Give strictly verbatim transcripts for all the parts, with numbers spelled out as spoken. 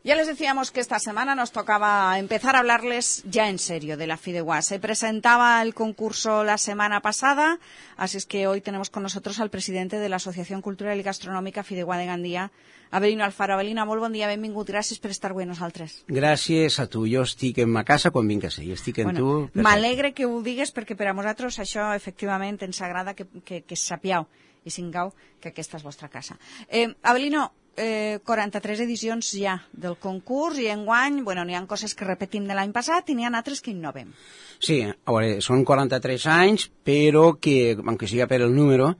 Ya les decíamos que esta semana nos tocaba empezar a hablarles ya en serio de la Fideuá. Se presentaba el concurso la semana pasada, así es que hoy tenemos con nosotros al presidente de la Asociación Cultural y Gastronòmica Fideuá de Gandia, Avelino Alfaro. Avelino, molt bon dia, benvingut, gràcies per estar avui amb nosaltres. Gràcies a tu, jo estic en ma casa quan vinc a ser, jo estic en bueno, tu. M'alegre que ho digues perquè per a nosaltres això efectivament ens agrada que, que, que sapiau i singau que aquesta és vostra casa. Eh, Avelino, Eh, quaranta-tres edicions ja del concurs i enguany, bueno, n'hi ha coses que repetim de l'any passat i n'hi ha altres que innovem. Sí, a veure, són quaranta-tres anys, però que, aunque siga per el número,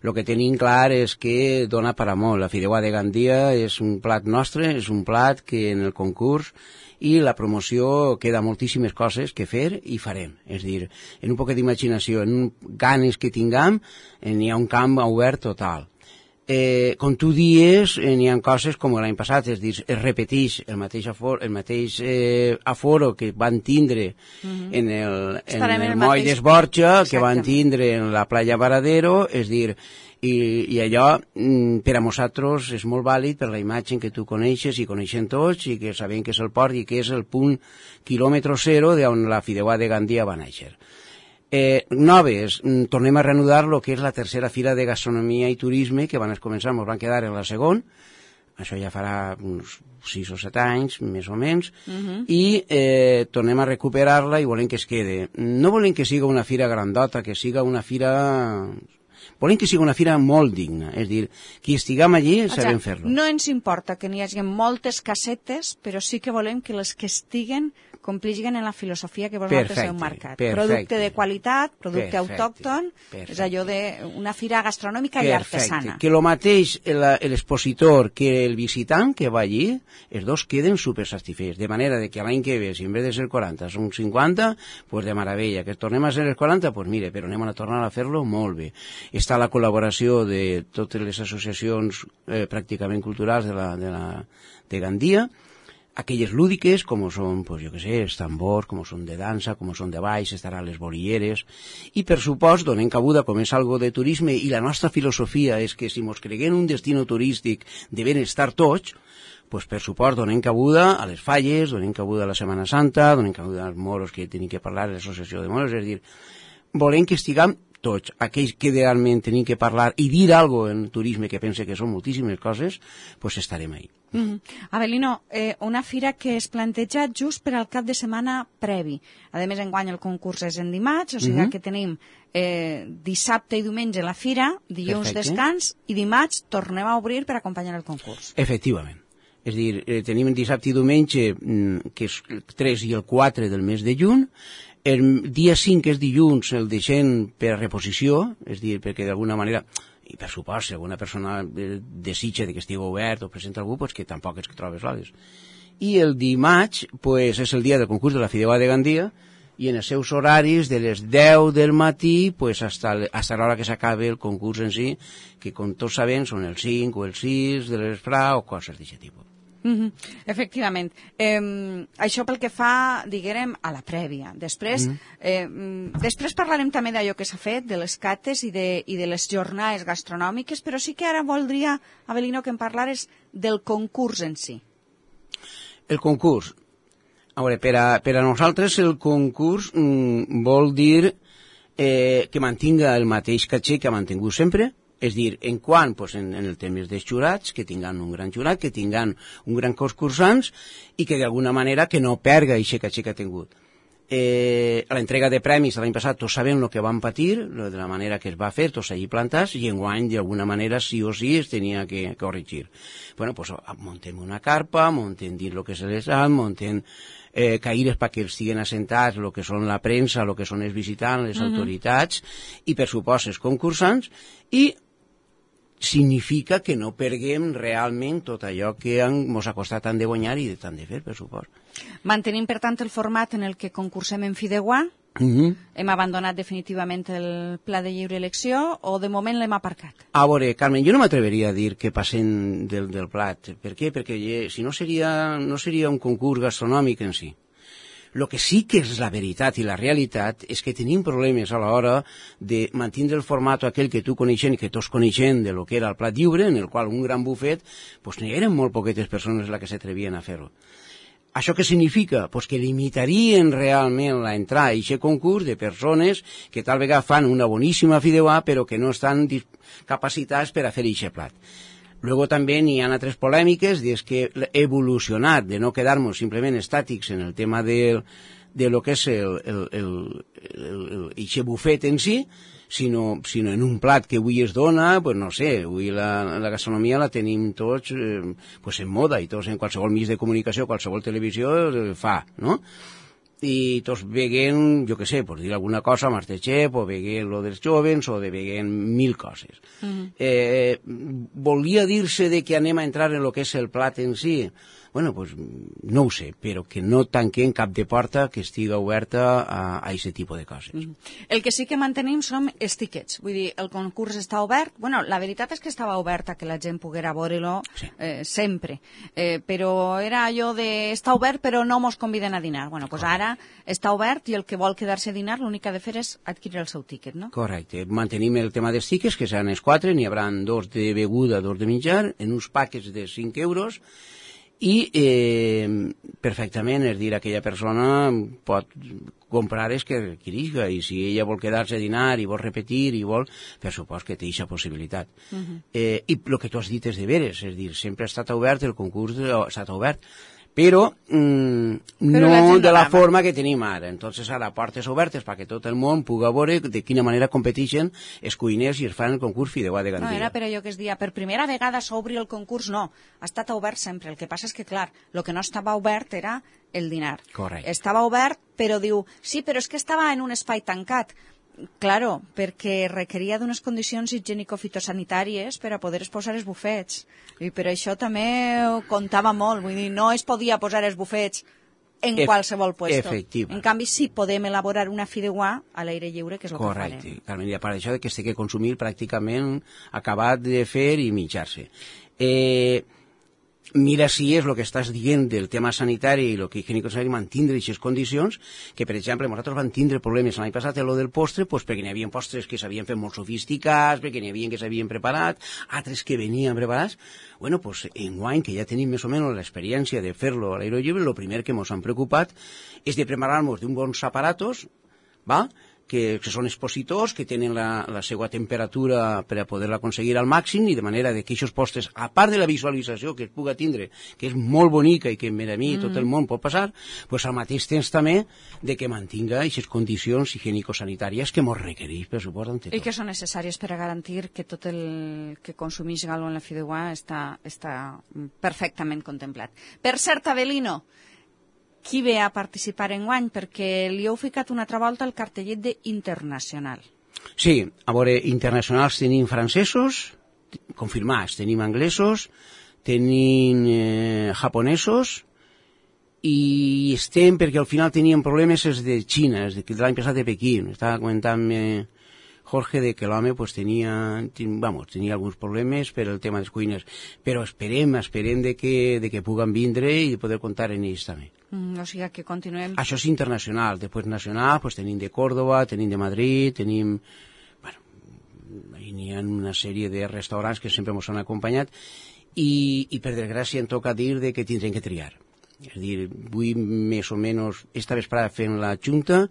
el que tenim clar és que dona per a molt. La Fideuá de Gandia és un plat nostre, és un plat que en el concurs i la promoció queda moltíssimes coses que fer i farem. És dir, en un poc d'imaginació, en ganes que tinguem, n'hi ha un camp obert total. Eh, com tu dies, eh, n'hi ha coses com l'any passat, és dir, es repeteix el mateix aforo, el mateix eh, aforo que van tindre uh-huh. en el, en el, el moll mateix... d'Esborja, que van tindre en la playa Varadero, és dir, i, i allò per a nosaltres és molt vàlid per la imatge que tu coneixes i coneixen tots i que sabem que és el port i que és el punt quilòmetre zero d'on la Fideuá de Gandia va néixer. Eh, noves, tornem a reanudar el que és la tercera fira de gastronomia i turisme que van començar, ens van quedar en la segona, això ja farà uns sis o set anys, més o menys, uh-huh. i eh, tornem a recuperar-la i volem que es quede. No volem que siga una fira grandota, que siga una fira... Volem que sigui una fira molt digna, és dir, qui estiguem allí sabem fer-lo. No ens importa que n'hi hagi moltes casetes, però sí que volem que les que estiguen complixen en la filosofia que vosaltres heu marcat. Perfecte. Producte de qualitat, producte perfecte, autòcton, perfecte. És allò d'una fira gastronòmica perfecte. I artesana. Que el mateix l'expositor que el visitant que va allí, els dos queden supersatisfets, de manera de que l'any que ve, si en vez de ser quaranta són cinquanta, pues de meravella, que tornem a ser els quaranta, pues mire, però anem a tornar a fer-lo molt bé. Està la col·laboració de totes les associacions eh, pràcticament culturals de, la, de, la, de Gandia, aquelles lúdiques, com són, pues, jo què sé, els tambors, com són de dansa, com són de baix, estaran les bolilleres, i per supost donem cabuda, com és algo de turisme, i la nostra filosofia és que si mos creguem un destino turístic de benestar tots, pues per supost donem cabuda a les falles, donem cabuda a la Setmana Santa, donem cabuda als moros que tenim que parlar, a l'associació de moros, és a dir, volem que estiguem tots, aquells que realment tenim que parlar i dir alguna cosa en turisme que pense que són moltíssimes coses, pues estarem ahí. Mm-hmm. Avelino, eh, una fira que es planteja just per al cap de setmana previ. A més, enguany el concurs és en dimarts, o sigui mm-hmm. que tenim eh, dissabte i diumenge la fira, dilluns Perfecte. Descans, i dimarts tornem a obrir per acompanyar el concurs. Efectivament. És a dir, eh, tenim dissabte i diumenge, que és el tres i el quatre del mes de juny. El dia cinc, que és dilluns, el deixem per reposició, és a dir, perquè d'alguna manera, i per supost, si alguna persona desitja que estigui obert o presenta algú, pues que tampoc és que trobes soles. I el dimarts, pues, és el dia del concurs de la Fideuá de Gandia, i en els seus horaris, de les deu del matí, pues, hasta, hasta l'hora que s'acabe el concurs en si, que com tots sabem són el cinc o el sis de l'esprà o coses d'aquest tipus. Mm-hmm. Efectivament. Eh, això pel que fa, diguem, a la prèvia. Després, mm-hmm. eh, després parlarem també d'allò que s'ha fet, de les cates i de, i de les jornades gastronòmiques, però sí que ara voldria, Avelino, que em parlares del concurs en si. El concurs. A veure, per a, per a nosaltres el concurs mm, vol dir eh, que mantinga el mateix caché que ha mantingut sempre. És dir, en quant, pues, en, en el tema dels jurats, que tinguin un gran jurat, que tinguin un gran concursants i que d'alguna manera que no perga aquest caché que ha tingut. Eh, l'entrega de premis l'any passat tots sabem el que van patir, de la manera que es va fer, tots allí plantats, i enguany d'alguna manera sí o sí es tenia que corregir. Bueno, pues montem una carpa, montem dins el que se les ha, montem eh, caires perquè estiguen assentats el que són la premsa, el que són els visitants, les uh-huh. autoritats, i per supost els concursants, i significa que no perguem realment tot allò que ens ha costat tant de guanyar i de tant de fer, per supost. Mantenim, per tant, el format en el que concursem en Fideuá? Uh-huh. Hem abandonat definitivament el pla de lliure elecció o de moment l'hem aparcat? A veure, Carmen, jo no m'atreveria a dir que passem del, del plat. Per què? Perquè si no seria, no seria un concurs gastronòmic en si. El que sí que és la veritat i la realitat és que tenim problemes a l'hora de mantenir el format aquell que tu coneixen i que tots coneixen de lo que era el plat lliure, en el qual un gran bufet, pues n'hi eren molt poquetes persones les que s'atrevien a fer-ho. Això què significa? Pues que limitarien realment l'entrada a aquest concurs de persones que tal vegada fan una boníssima fideuà però que no estan capacitats per a fer aquest plat. Luego també n'hi ha altres polèmiques, és que evolucionat de no quedar-nos simplement estàtics en el tema del, de lo que és el, el, el, el, el, el bufet en si, sinó, sinó en un plat que avui es dona, pues no sé, avui la, la gastronomia la tenim tots eh, pues en moda, i tots en qualsevol mig de comunicació, qualsevol televisió eh, fa, no? I tots veient, jo què sé, per dir alguna cosa, Masterchef, o veient lo dels jovens, o de veient mil coses. Uh-huh. eh, volia dir-se de que anem a entrar en lo que és el plat en si? Bueno, pues no ho sé, però que no tanquem cap de porta que estiga oberta a aquest tipus de coses. Mm. El que sí que mantenim són els tiquets. Vull dir, el concurs està obert. Bueno, la veritat és que estava obert a que la gent poguera veure-lo sí. eh, sempre. Eh, però era allò de està obert però no mos conviden a dinar. Bueno, doncs pues ara està obert i el que vol quedar-se a dinar l'únic que ha de fer és adquirir el seu tiquet, no? Correcte. Mantenim el tema dels tiquets, que seran els quatre, n'hi haurà dos de beguda, dos de menjar, en uns paquets de cinc euros, i eh, perfectament, és dir, aquella persona pot comprar els que requerisca, i si ella vol quedar-se a dinar i vol repetir i vol, per supost que té aquesta possibilitat. Uh-huh. eh, I el que tu has dit és de veres, és dir, sempre ha estat obert, el concurs ha estat obert, però, mm, però no de la forma que tenim ara. Entonces ara portes obertes perquè tot el món pugui veure de quina manera competeixen els cuiners i es fan el concurs fideuà de Gandia. No, era per allò que es dia, per primera vegada s'obri el concurs, no, ha estat obert sempre. El que passa és que, clar, el que no estava obert era el dinar. Correcte. Estava obert, però diu, sí, però és que estava en un espai tancat. Claro, perquè requeria d'unes condicions higiènico-fitosanitàries per a poder posar els bufets. I per això també comptava molt. Vull dir, no es podia posar els bufets en e qualsevol puesto. En canvi, sí podem elaborar una fideuà a l'aire lliure, que és el Correcte. que farem. Carmen, i a part d'això que s'ha de consumir pràcticament acabat de fer i mitjar-se. Eh... Mira si és el que estàs dient del tema sanitari i el que higiènico-sanitari mantindre aquestes condicions, que per exemple nosaltres vam tindre problemes l'any passat en lo del postre, pues, perquè n'hi havia postres que s'havien fet molt sofisticats, perquè n'hi havia que s'havien preparat, altres que venien preparats. Bueno, pues enguany, que ja tenim més o menys l'experiència de fer-lo a l'aire lliure, el primer que ens han preocupat és de preparar-nos d'un bons aparatos, va?, que, que són expositors, que tenen la, la seva temperatura per a poder-la aconseguir al màxim, i de manera que aquests postres, a part de la visualització que es puga tindre, que és molt bonica i que per a mi mm. tot el món pot passar, pues al mateix temps també de que mantinga aquestes condicions higiènico-sanitàries que ens requereix, per supost. I que són necessàries per a garantir que tot el que consumeix Galo en la fideuà està, està perfectament contemplat. Per cert, Avelino, qui ve a participar enguany? Perquè li heu ficat una altra volta el cartellet d'internacional. Sí, a veure, internacionals tenim francesos, confirmats, tenim anglesos, tenim eh, japonesos, i estem, perquè al final teníem problemes els de Xina, els de l'any passat de Pequín. Estava comentant eh, Jorge de que l'home pues, tenia, ten, vamos, tenia alguns problemes per el tema dels cuiners, però esperem, esperem de que, de que puguen vindre i poder comptar en ells també. Mm, o sigui que continuem... Això és internacional. Després nacional, pues, tenim de Córdoba, tenim de Madrid, tenim... Bueno, n'hi ha una sèrie de restaurants que sempre ens han acompanyat i, i per desgràcia em toca dir de que tindrem que triar. És a dir, avui més o menys esta vesprada fent la junta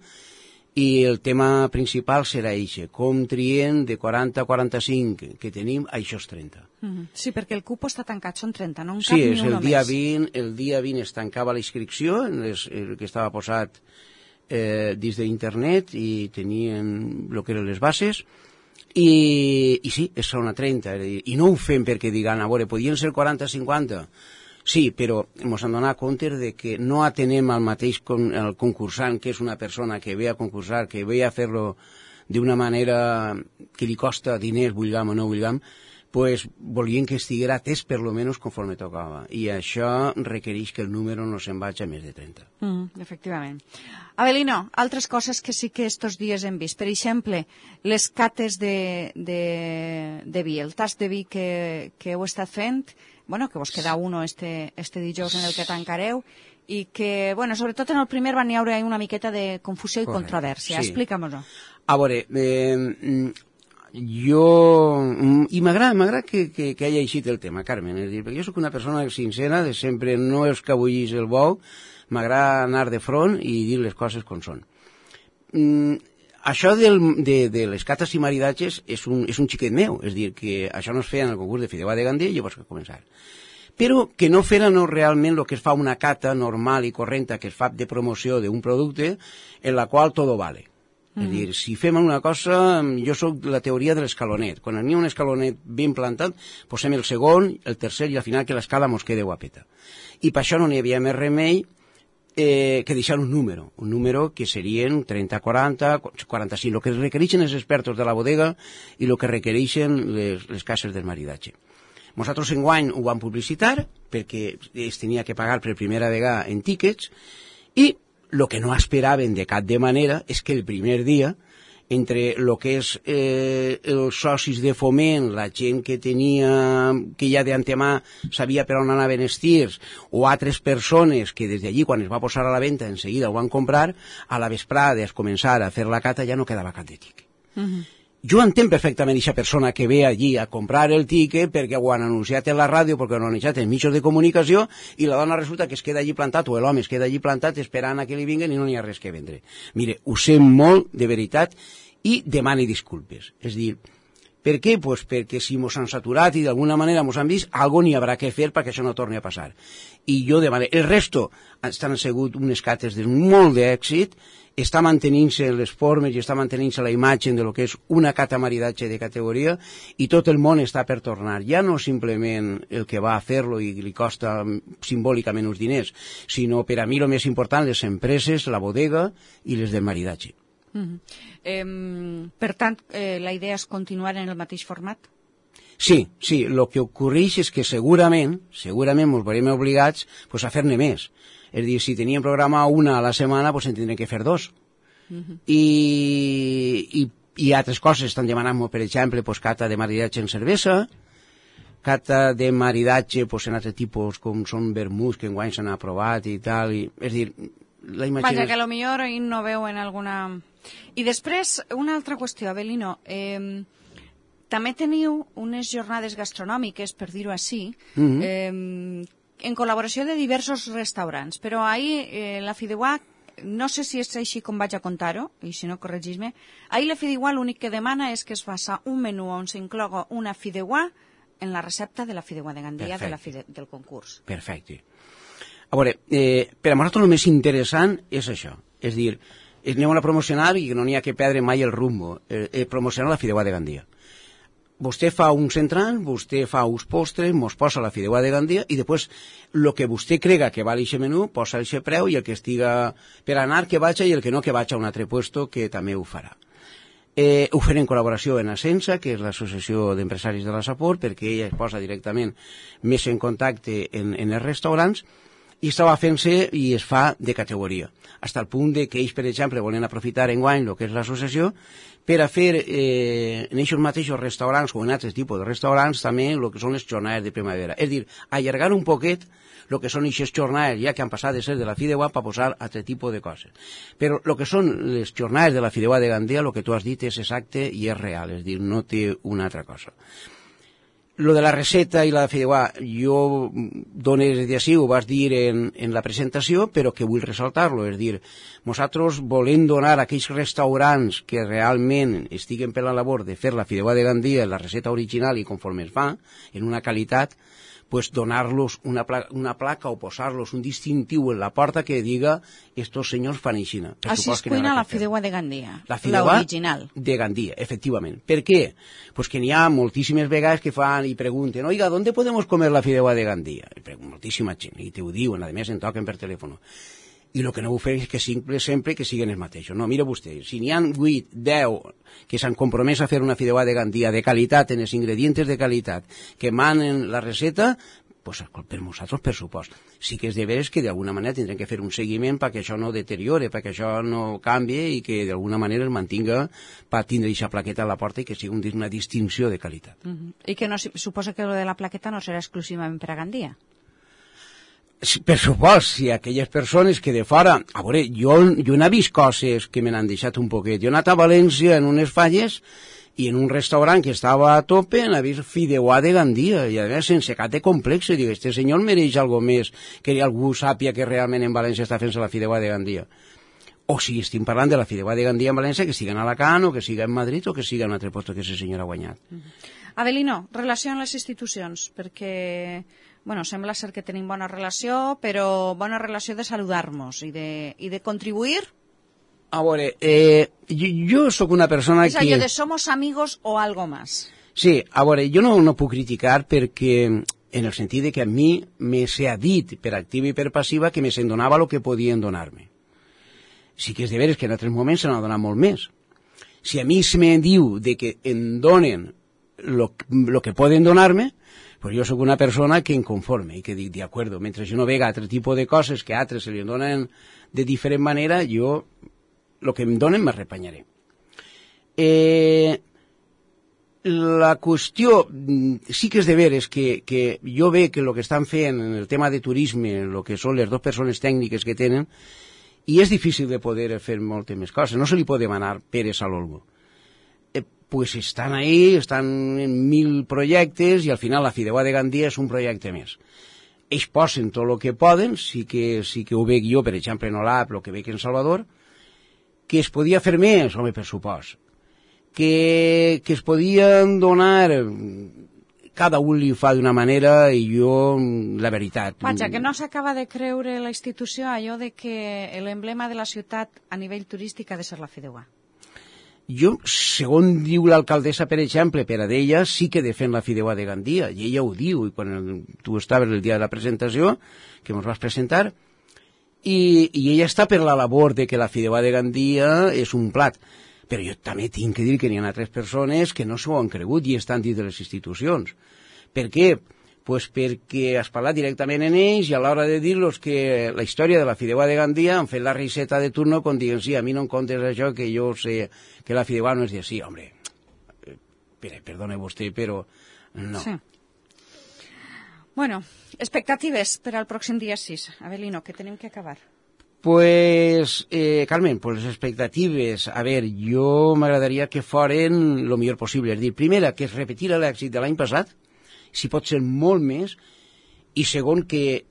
i el tema principal serà això, com triem de quaranta a quaranta-cinc que tenim a aquests trenta. Mm-hmm. Sí, perquè el cupo està tancat, són trenta, no en cap sí, ni un només. Dia vint, el dia vint es tancava la inscripció, les, el que estava posat eh, dins d'internet i tenien el que eren les bases, i, i sí, són a trenta, i no ho fem perquè digan, a veure, podien ser quaranta a cinquanta, sí, però ens hem donat compte de que no atenem al mateix con, el concursant, que és una persona que ve a concursar, que ve a fer-lo d'una manera que li costa diners, vulguem o no vulguem, pues volien que estiguera atès per lo menos conforme tocava. I això requereix que el número no se'n vagi a més de trenta. Mm, efectivament. Avelino, altres coses que sí que estos dies hem vist. Per exemple, les cates de, de, de vi, el tast de vi que, que heu estat fent, bueno, que vos queda uno este, este dijous en el que tancareu, i que, bueno, sobretot en el primer van hi haure una miqueta de confusió i Correcte. controvèrsia. Sí. Explica-m'ho. A veure, eh, jo... I m'agrada que, que, que hagi eixit el tema, Carmen, és dir, perquè jo sóc una persona sincera, de sempre no escabullis el bou, m'agrada anar de front i dir les coses com són. Mm, això del, de, de les cates i maridatges és un, és un xiquet meu, és dir, que això no es feia en el concurs de Fideuà de Gandia i llavors que començar. Però que no fera no realment el que es fa una cata normal i correnta que es fa de promoció d'un producte en la qual tot vale. Mm. És dir, si fem una cosa, jo sóc de la teoria de l'escalonet. Quan n'hi ha un escalonet ben plantat, posem el segon, el tercer i al final que l'escala mos quede guapeta. I per això no n'hi havia més remei Eh, que deixar un número, un número que serien trenta, quaranta, quaranta-cinc, el que requereixen els expertos de la bodega i el que requereixen les, les cases del maridatge. Nosaltres enguany ho vam publicitar perquè es tenia que pagar per primera vegada en tíquets i el que no esperaven de cap de manera és que el primer dia entre el que és eh, els socis de foment, la gent que tenia, que ja d'antemà sabia per on anaven els tirs, o altres persones que des d'allí, quan es va posar a la venda, en seguida ho van comprar, a la vesprada es començar a fer la cata ja no quedava cap de tiquet. Uh-huh. Jo entenc perfectament aquesta persona que ve allí a comprar el tiquet perquè ho han anunciat en la ràdio, perquè ho han anunciat en mitjans de comunicació, i la dona resulta que es queda allí plantat, o l'home es queda allí plantat esperant a que li vinguen i no n'hi ha res que vendre. Mire, ho sé molt, de veritat, i demani disculpes. És dir, per què? Pues perquè si mos han saturat i d'alguna manera mos han vist, algo n'hi haurà que fer perquè això no torni a passar. I jo demano... El resto estan sigut unes cates de molt d'èxit, està mantenint-se les formes i està mantenint-se la imatge de lo que és una cata maridatge de categoria i tot el món està per tornar. Ja no simplement el que va a fer-lo i li costa simbòlicament uns diners, sinó per a mi el més important, les empreses, la bodega i les del maridatge. Uh-huh. eh, per tant, eh, la idea és continuar en el mateix format? Sí, sí, el que ocorreix és que segurament, segurament ens veurem obligats pues, a fer-ne més. És dir, si teníem programa una a la setmana, pues, en tindrem que fer dos. Uh-huh. I, i, i altres coses estan demanant, per exemple, pues, cata de maridatge en cervesa, cata de maridatge pues, en altres tipus com són vermuts que enguany s'han aprovat i tal. I, és dir, la imaginació... Vaja, que potser ahir no veuen alguna... I després, una altra qüestió, Avelino. Eh, també teniu unes jornades gastronòmiques, per dir-ho així, mm-hmm. eh, en col·laboració de diversos restaurants, però ahir eh, la Fideuà, no sé si és així com vaig a contar-ho, i si no, corregis-me, ahir la Fideuà l'únic que demana és que es faça un menú on s'incloga una Fideuà en la recepta de la Fideuà de Gandia de la fide, del concurs. Perfecte. A veure, eh, per a nosaltres el més interessant és això, és dir, anem a promocionar i no n'hi ha que perdre mai el rumbo, eh, eh, promocionar la Fideuà de Gandia. Vostè fa un central, vostè fa uns postres, mos posa la Fideuà de Gandia i després el que vostè crega que val aquest menú, posa aquest preu i el que estiga per anar que vaig i el que no que vaig a un altre puesto que també ho farà. Eh, ho faré en col·laboració en Ascensa, que és l'Associació d'Empresaris de la Sapor, perquè ella es posa directament més en contacte en, en els restaurants, i estava fent-se i es fa de categoria, fins al punt de que ells, per exemple, volen aprofitar enguany el que és l'associació per a fer eh, en aquests mateixos restaurants o en altres tipus de restaurants també el que són les jornades de primavera. És dir, allargar un poquet el que són aquestes jornades, ja que han passat de ser de la Fideuà per posar altre tipus de coses. Però el que són les jornades de la Fideuà de Gandia, el que tu has dit és exacte i és real, és dir, no té una altra cosa. Lo de la receta i la Fideuà, jo dones de així, ho vas dir en, en la presentació, però que vull ressaltar-lo, és dir, nosaltres volem donar a aquells restaurants que realment estiguen per la labor de fer la Fideuà de Gandia, la receta original i conforme es fa, en una qualitat, pues donar-los una, pla una placa o posar-los un distintiu en la porta que diga estos senyors fan aixina. Així es cuina la Fideuà de Gandia, l'original. De Gandia, efectivament. Per què? Pues que n'hi ha moltíssimes vegades que fan i pregunten, oiga, ¿dónde podemos comer la Fideuà de Gandia? I moltíssima gent, i te ho diuen, a més en toquen per telèfon. I el que no ho fer és que sempre, sempre que siguin els mateixos. No, mira vostè, si n'hi ha vuit, deu que s'han compromès a fer una Fideuà de Gandia de qualitat, en els ingredients de qualitat, que manen la receta, pues, per nosaltres, per supost. Sí que és de veres que d'alguna manera tindrem que fer un seguiment perquè això no deteriore, perquè això no canvi i que d'alguna manera es mantinga per tindre aquesta plaqueta a la porta i que sigui una distinció de qualitat. Uh -huh. I que no, suposa que lo de la plaqueta no serà exclusivament per a Gandia? Per supost, si aquelles persones que de fora... A veure, jo, jo n'he vist coses que me n'han deixat un poquet. Jo he anat a València en unes falles i en un restaurant que estava a tope n'he vist fideuà de Gandia, i a més sense cap de complex. Dic, este senyor mereix algo més que algú sàpia que realment en València està fent-se la fideuà de Gandia. O si estem parlant de la fideuà de Gandia en València, que siga en Alacant o que siga en Madrid o que siga en un altre lloc que aquest senyor ha guanyat. Uh -huh. Avelino, relació amb les institucions, perquè... Bueno, sembla ser que tenim bona relació, però bona relació de saludar-nos i de, i de contribuir. A veure, eh, jo, jo sóc una persona és que... És allò de somos amigos o algo más. Sí, a veure, jo no, no puc criticar perquè, en el sentit de que a mi me s'ha dit per activa i per passiva que me se'n donava el que podien donar-me. Sí que és de veres que en altres moments se n'ha donat molt més. Si a mi se me diu de que em donen el que poden donar-me, pues jo sóc una persona que em conforme i que dic, de acuerdo, mentre jo no vega altre tipus de coses que a altres se li donen de diferent manera, jo el que em donen m'arrepanyaré. Eh, la qüestió, sí que és de veres que, que jo ve que el que estan fent en el tema de turisme, el que són les dues persones tècniques que tenen, i és difícil de poder fer moltes més coses, no se li pot demanar peres a l'olmo. Pues estan ahí, estan en mil projectes i al final la fideuà de Gandia és un projecte més. Ells posen tot el que poden, sí que, sí que ho veig jo, per exemple, en Olap, el que veig en Salvador, que es podia fer més, home, per supost. Que, que es podien donar... Cada un li fa d'una manera i jo, la veritat... Vaja, que no s'acaba de creure la institució allò de que l'emblema de la ciutat a nivell turístic ha de ser la fideuà. Jo, segons diu l'alcaldessa, per exemple, per a d'ella, sí que defen la fideuà de Gandia, i ella ho diu, i quan el, tu estaves el dia de la presentació, que ens vas presentar, i, i ella està per la labor de que la fideuà de Gandia és un plat. Però jo també tinc que dir que n'hi ha altres persones que no s'ho han cregut i estan dins de les institucions. Per què? Pues perquè has parlat directament en ells i a l'hora de dir-los que la història de la fideuà de Gandia han fet la riseta de turno quan diuen, sí, a mi no em contes això, que jo sé que la fideuà no és de sí, hombre, eh, perdone vostè, però no. Sí. Bueno, expectatives per al pròxim dia sis. Avelino, que tenim que acabar. Pues, eh, Carmen, pues les expectatives, a ver, jo m'agradaria que foren el millor possible. És dir, primera, que es repetirà l'èxit de l'any passat, si pot ser molt més, i segon, que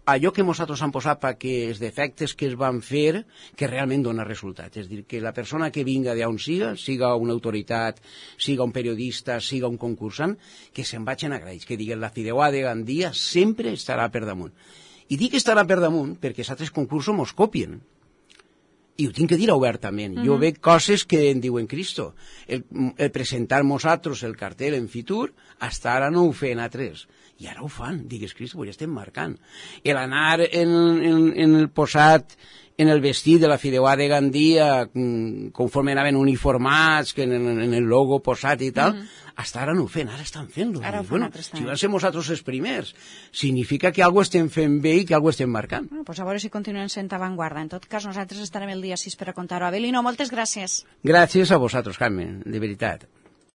allò que nosaltres hem posat perquè els defectes que es van fer, que realment dona resultats. És dir, que la persona que vinga d'on siga, siga una autoritat, siga un periodista, siga un concursant, que se'n vagin agraïts, que diguen la fideuà de Gandia sempre estarà per damunt. I dic que estarà per damunt perquè els altres concursos mos copien. I ho tinc que dir obertament. Uh-huh. Jo veig coses que em diuen Cristo. El, el presentar nosaltres el cartel en Fitur, hasta ara no ho feien altres. I ara ho fan. Digues, Cristo, pues ja estem marcant. El anar en, en, en el posat, en el vestit de la fideuà de Gandia, conforme anaven uniformats, que en, en el logo posat i tal, uh-huh. Hasta ara no ho feien, ara estan fent-lo. Ara ho fan bueno, altres si van ser nosaltres els primers, significa que alguna estem fent bé i que alguna estem marcant. Bueno, pues a veure si continuen sent avantguarda. En tot cas, nosaltres estarem el dia sis per a contar-ho. Avelino, moltes gràcies. Gràcies a vosaltres, Carmen, de veritat.